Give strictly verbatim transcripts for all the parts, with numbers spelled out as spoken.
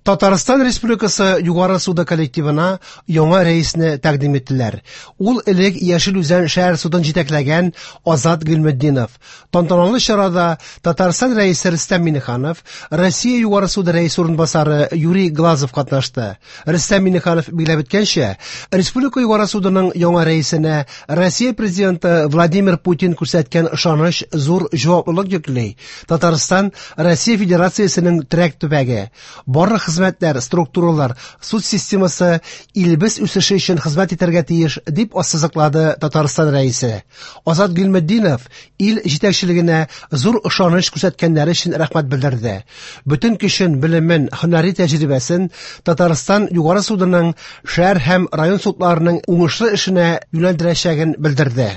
Татарстан Республикасы Югары суды коллективына яңа рәисне тәкъдим иттеләр. Ул элек Яшел Үзән шәһәр судын җитәкләгән Азат Гыйльметдинов. Тантаналы чарада Татарстан рәисе Рөстәм Миңнеханов, Россия Югары суды рәисе урынбасары Юрий Глазов катнашты. Рөстәм Миңнеханов билгеләп үткәнчә, Республика Югары судының яңа рәисенә Россия президенты Владимир Путин күрсәткән ышаныч зур җаваплылык йөкли. Татарстан Россия Федерациясенең терәк төбәге. Барлык хезмәтләр, структуралар, суд системасы илебез үсеше өчен хезмәт итәргә тиеш, дип ассызыклады Татарстан рәисе. Азат Гыйльметдинов ил җитәкчелегенә зур ышаныч күрсәткәннәре өчен рәхмәт белдерде. Бөтен көчен, белемен, һөнәри тәҗрибәсен Татарстан Югары судының шәһәр һәм район судларының уңышлы эшенә юнәлдерәчәген белдерде.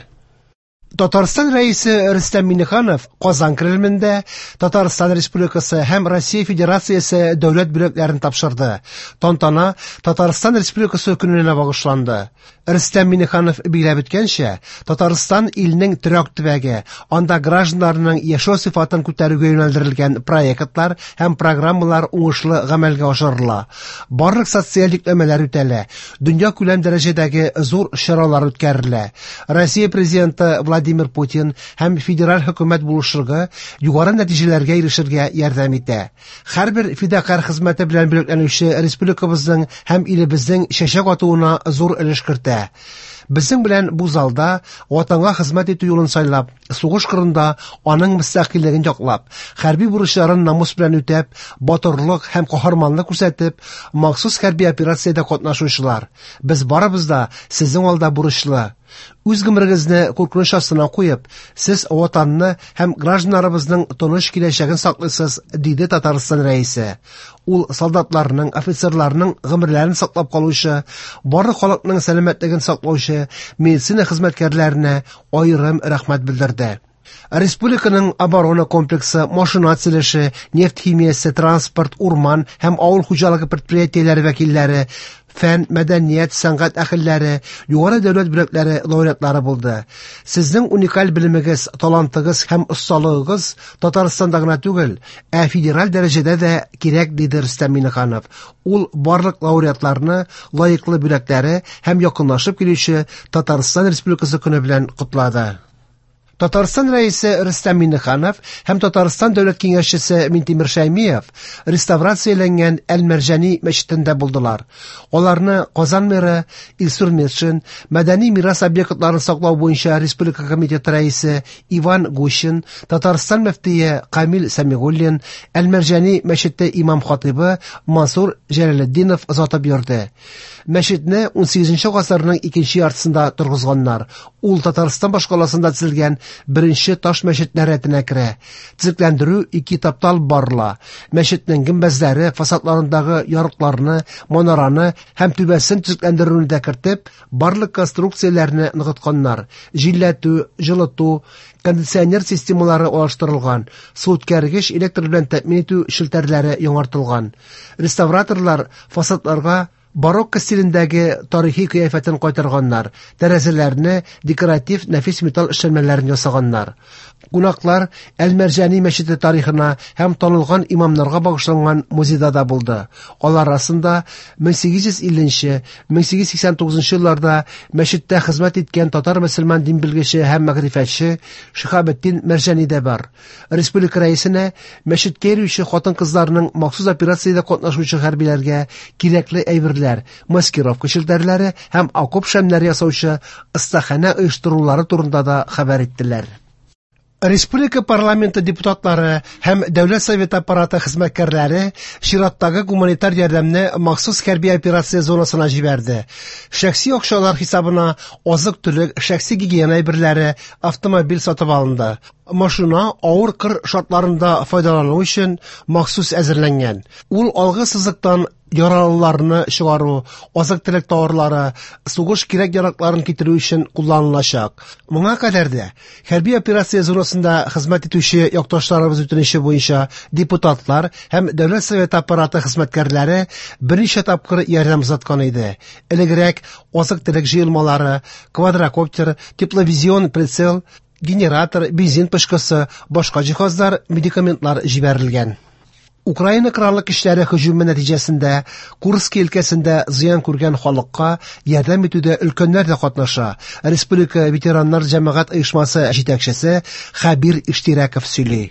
Татарстан рәисе Рөстәм Миңнеханов Казан Кремлендә Татарстан Республикасы һәм Россия Федерациясе дәүләт бүләкләрен тапшырды. Тантана Татарстан Республикасы көненә багышланды. Рөстәм Миңнеханов билгеләп үткәнчә, Татарстан илнең терәк төбәге, анда гражданнарның яшәү сыйфатын күтәрүгә юнәлдерелгән проектлар һәм программалар уңышлы гамәлгә ашырыла. Барлык социаль йөкләмәләр үтәлә, дөнья күләм дәрәҗәдәге зур чаралар үткәрелә. Россия президенты Владимир Путин һәм федераль хөкүмәт булышлыгы югары нәтиҗәләргә ирешергә ярдәм итә. Һәрбер фидакарь хезмәте белән бүләкләнүче республикабызның һәм илебезнең чәчәк атуына зур өлеш кертә. Безнең белән бу залда ватанга хезмәт итү юлын сайлап, сугыш кырында аның мөстәкыйльлеген яклап, хәрби бурычларын намус белән үтәп, батырлык һәм каһарманлык күрсәтеп, махсус хәрби операциядә катнашучылар. Без барыбыз да сезнең алда бурычлы. Үз гомерегезне куркыныч астына куеп, сез ватанны һәм гражданнарыбызның тыныч киләчәген саклыйсыз, диде Татарстан рәисе. Ул солдатларның, офицерларның гомерләрен саклап калучы, барлык халыкның сәламәтлеген саклаучы медицина хезмәткәрләренә аерым рәхмәт белдерде. Республиканың оборона комплексы, машина төзелеше, нефть химиясе, транспорт, урман һәм авыл хуҗалыгы предприятиеләре вәкилләре, фән, мәдәният, сәнгать әһелләре, югары дәүләт бүләкләре лауреатлары булды. Сезнең уникаль белемегез, талантыгыз һәм осталыгыгыз Татарстанда гына түгел, ә федераль дәрәҗәдә дә кирәк, диде Рөстәм Миңнеханов. Ул барлык лауреатларны лаеклы бүләкләре һәм якынлашып килүче Татарстан Республикасы көне белән котлады. Татарстан рәисе Рөстәм Миңнеханов һәм Татарстан дәүләт киңәшчесе Минтимер Шәймиев реставрацияләнгән Әл-Мәрҗани мәчетендә булдылар. Аларны Казан мэры Илсур Метшин, мәдәни мирас объектларын саклау буенча республика комитеты рәисе Иван Гущин, Татарстан мөфтие Камил Сәмигуллин, Әл-Мәрҗани мәчете имам хатибы Мансур Җәләлетдинов озатып йөрде. Мәчетне ун сигезенче гасырның икенче яртысында торгызганнар. Ул Татарстан башкаласында төзелгән беренче таш мәчетләр рәтенә керә. Төзекләндерү ике этапта алып барыла. Мәчетнең гөмбәзләре, фасадларындагы ярыкларны, манараны һәм түбәсен төзекләндерүне дә кертеп, барлык конструкцияләрне ныгытканнар. Җилләтү, җылыту, кондиционер системалары алыштырылган, су үткәргеч электр белән тәэмин итү челтәрләре яңартылган. Реставраторлар фасадларга барокко стилендәге тарихи кыяфәтен кайтарганнар, тәрәзәләрне декоратив нәфис металл эшләнмәләрен ясаганнар. Кунаклар Әл-Мәрҗани мәчете тарихына һәм танылган имамнарга багышланган музейда да булды. Алар арасында мең сигез йөз илленче, мең сигез йөз сиксән тугызынчы елларда мәчеттә хезмәт иткән татар мөселман дин белгече һәм мәгърифәтче Шиһабетдин Мәрҗани дә бар. Республика рәисенә мәчеткә йөрүче хатын-кызларның махсус операциядә катнашучы хәрбиләргә кирәкле әйберләр, маскировка челтәрләре һәм окоп шәмнәре ясаучы остаханә оештырулары турында да хәбәр иттеләр. Республика парламенты депутатлары һәм Дәүләт Советы аппараты хезмәткәрләре чираттагы гуманитар ярдәмне махсус хәрби операция зонасына җибәрде. Шәхси акчалар хисабына азык-төлек, шәхси гигиена әйберләре, автомобиль сатып алынды. Машина авыр кыр шартларында файдалану өчен махсус әзерләнгән. Ул алгы сызыктан яралыларны чыгару, азык-төлек товарлары, сугыш кирәк-яракларын китерү өчен кулланылачак. Моңа кадәр дә хәрби операция зонасында хезмәт итүче якташларыбыз үтенече буенча депутатлар һәм Дәүләт Советы аппараты хезмәткәрләре берничә тапкыр ярдәм озаткан иде. Элегрәк азык-төлек җыелмалары, квадрокоптер, тепловизион прицел, генератор, бензин пышкысы, башка җиһазлар, медикаментлар җибәрелгән. Украина Кораллы көчләре һөҗүме нәтиҗәсендә Курск өлкәсендә зыян күргән халыкка ярдәм итүдә өлкәннәр дә катнаша. Республика ветераннар җәмәгать оешмасы җитәкчесе Хәбир Иштирәков сөйли.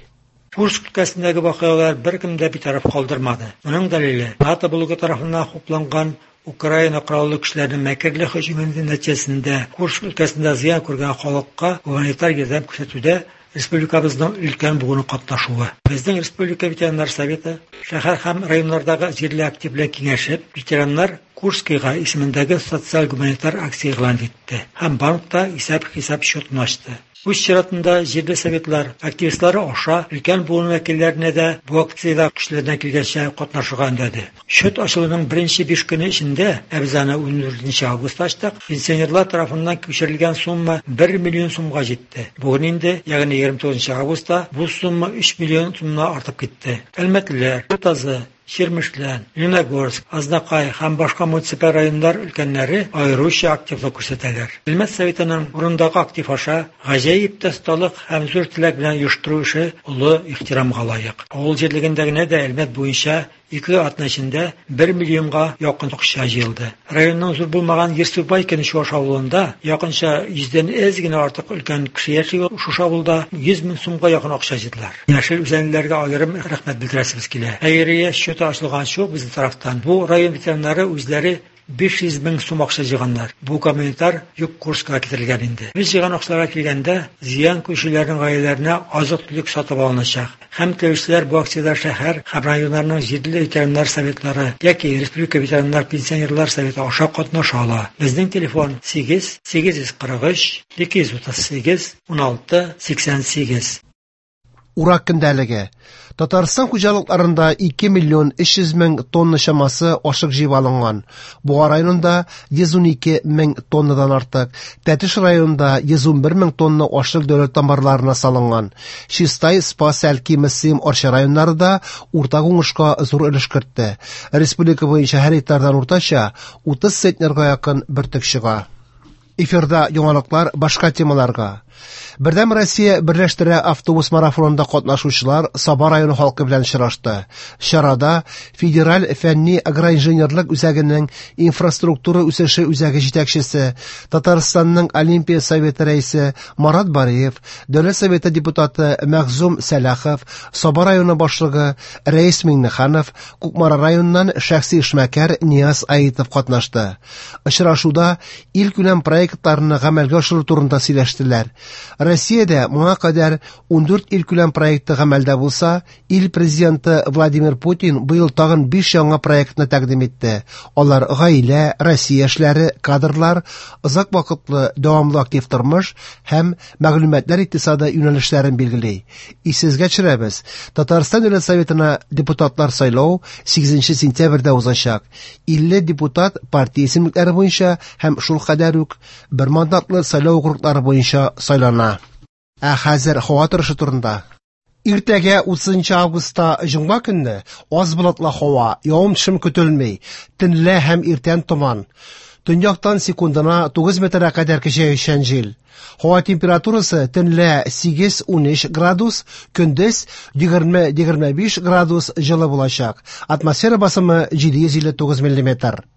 Курск өлкәсендәге вакыйгалар беркемне дә битараф калдырмады. Моның дәлиле НАТО блогы тарафыннан хупланган Украина Кораллы көчләренең мәкерле һөҗүме нәтиҗәсендә Курск өлкәсендә зыян күргән халыкка гуманитар ярдәм күрсәтүдә республикабызның өлкән буыны катнашуы. Безнең Республика ветераннар советы шәһәр һәм районнардагы җирле актив белән киңәшеп, ветераннар Курскийга исемендәге социаль-гуманитар акция игълан итте һәм банкта исәп-хисап счетын ачты. Үз чиратында җирле советлар активистлары аша өлкән буын вәкилләренә дә бу акциядә көчләреннән килгәнчә катнашырга өндәде. Счет ачылуның беренче биш көне эчендә, ә без аны ундүртенче августта ачтык, пенсионерлар тарафыннан күчерелгән сумма бер миллион сумга җитте. Бүген инде, ягъни егерме тугызынчы августта, бу сумма өч миллион сумнан артып китте. Әлмәтлеләр, Ютазы, Чирмешлән, Лениногорск, Азнакай һәм башка муниципаль районнар өлкәннәре аеруча активлык күрсәтәләр. Әлмәт советының урындагы актив аша гаҗәеп тә осталык һәм зур теләк белән оештыру эше олы ихтирамга лаек. Авыл җирлегендә генә дә Әлмәт буенча ике атна эчендә бер миллионга якын акча җыелды. Районның зур булмаган Ерсубайкин Чуаш авылында якынча йөздән әз генә артык өлкән кеше яши. Шушы авылда йөз мең сумга якын акча җыйдылар. Яшел үзәнлеләргә аерым рәхмәт белдерәсебез килә. Хәйрия счеты ачылганчы ук безнең тарафтан бу район ветераннары үзләре биш йөз мең сум акча җыйганнар. Бу гуманитар йөк Курскка китерелгән инде. Без җыйган акчаларга килгәндә, зыян күрүчеләрнең гаиләләренә азык-төлек сатып алыначак. Һәм теләүчеләр бу акциядә шәһәр һәм районнарның җирле ветераннар советлары яки Республика ветераннар пенсионерлар советы аша катнаша ала. Безнең телефон сигез сигез йөз кырык өч ике йөз утыз сигез уналты сиксән сигез. Урак көндәлеге. Татарстан хуҗалыкларында ике миллион өч йөз мең тонна чамасы ашык җыеп алынган. Буа районында йөз унике мең тоннадан артык, Тәтеш районында йөз унбер мең тонна ашык дәүләт амбарларына салынган. Чистай, Спас, Әлки, Мөслим, Арча районнары да уртак уңышка зур өлеш кертте. Республика буенча һәр гектардан уртача утыз центнерга якын бөртек чыга. Эфирда яңалыклар башка темаларга. Бердәм Россия берләштерә автобус марафонында катнашучылар Саба районы халкы белән очрашты. Чарада Федераль фәнни агроинженерлык үзәгенең инфраструктура үсеше үзәге җитәкчесе, Татарстанның Олимпия советы рәисе Марат Бариев, Дәүләт советы депутаты Мәгъзум Сәлахов, Саба районы башлыгы Рәис Миңнеханов, Кукмара районыннан шәхси эшмәкәр Нияз Аитов катнашты. Очрашуда илкүләм проектларны гамәлгә ашыру турында сөйләштеләр. Россиядә моңа кадәр ундүрт илкүләм проекты гамәлдә булса, ил президенты Владимир Путин быел тагын биш яңа проектны тәкъдим итте. Алар гаилә, Россия эшләре, кадрлар, озак вакытлы дәвамлы актив тормыш һәм мәгълүматлар икътисады юнәлешләрен билгели. Исегезгә төшерәбез, Татарстан Дәүләт Советына депутатлар сайлау сигезенче сентябрьдә узачак. Илле депутат партия исемлекләре буенча һәм шул кадәр үк бер мандатлы сайлау округлары буенча сайлана. Ә хәзер һава торышы турында. Иртәгә утызынчы августта җомга көнне аз болытлы һава, явым-төшем көтелми, төнлә һәм иртән томан. Төньяктан секундына тугыз метрга кадәр көчәючән җил. Һава температурасы төнлә сигез унөч градус, көндез егерме егерме биш градус җылы булачак. Атмосфера басымы җиде йөз илле тугыз миллиметр.